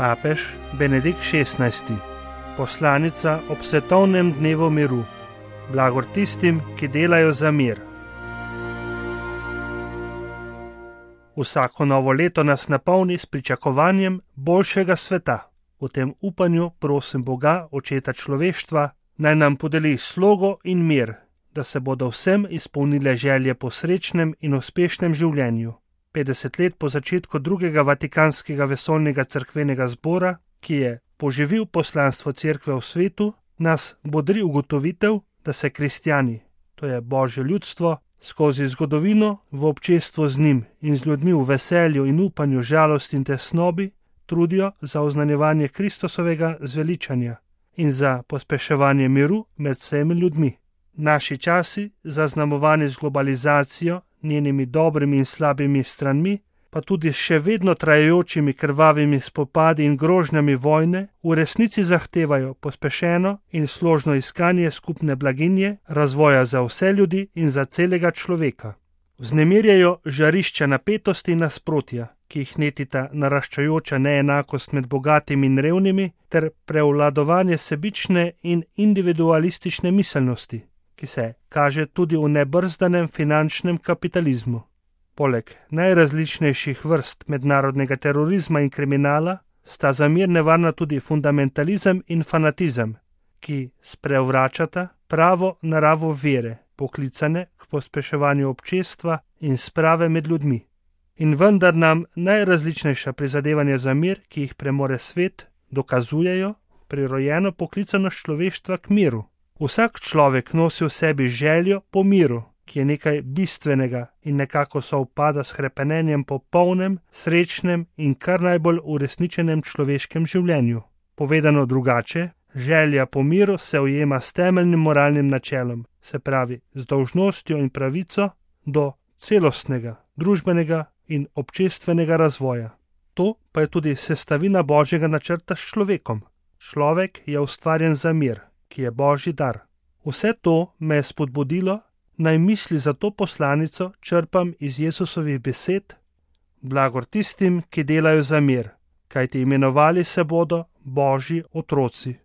Papež Benedikt XVI. Poslanica ob svetovnem dnevu miru. Blagor tistim, ki delajo za mir. Vsako novo leto nas napolni s pričakovanjem boljšega sveta. V tem upanju prosim Boga, očeta človeštva, naj nam podeli slogo in mir, da se bodo vsem izpolnile želje po srečnem in uspešnem življenju. 50 let po začetku drugega Vatikanskega vesoljnega cerkvenega zbora, ki je poživil poslanstvo cerkve v svetu, nas bodri ugotovitev, da se kristjani, to je Božje ljudstvo, skozi zgodovino v občestvu z njim in z ljudmi v veselju in upanju, žalosti in tesnobi, trudijo za oznanjevanje Kristusovega zveličanja in za pospeševanje miru med vsemi ljudmi. Naši časi, zaznamovani z globalizacijo, njenimi dobrimi in slabimi stranmi, pa tudi s še vedno trajajočimi krvavimi spopadi in grožnjami vojne, v resnici zahtevajo pospešeno in složno iskanje skupne blaginje, razvoja za vse ljudi in za celega človeka. Vznemirjajo žarišča napetosti in nasprotja, ki jih netita naraščajoča neenakost med bogatimi in revnimi ter prevladovanje sebične in individualistične miselnosti, ki se kaže tudi v nebrzdanem finančnem kapitalizmu. Poleg najrazličnejših vrst mednarodnega terorizma in kriminala sta za mir nevarna tudi fundamentalizem in fanatizem, ki sprevračata pravo naravo vere, poklicane k pospeševanju občestva in sprave med ljudmi. In vendar nam najrazličnejša prizadevanja za mir, ki jih premore svet, dokazujejo prirojeno poklicanost človeštva k miru. Vsak človek nosi v sebi željo po miru, ki je nekaj bistvenega in nekako sovpada s hrepenenjem po polnem, srečnem in kar najbolj uresničenem človeškem življenju. Povedano drugače, želja po miru se ujema s temeljnim moralnim načelom, se pravi z dolžnostjo in pravico do celostnega, družbenega in občestvenega razvoja. To pa je tudi sestavina Božjega načrta s človekom. Človek je ustvarjen za mir, ki je Božji dar. Vse to me je spodbudilo, naj misli za to poslanico črpam iz Jesusovih besed: blagor tistim, ki delajo za mir, kajti imenovali se bodo Božji otroci.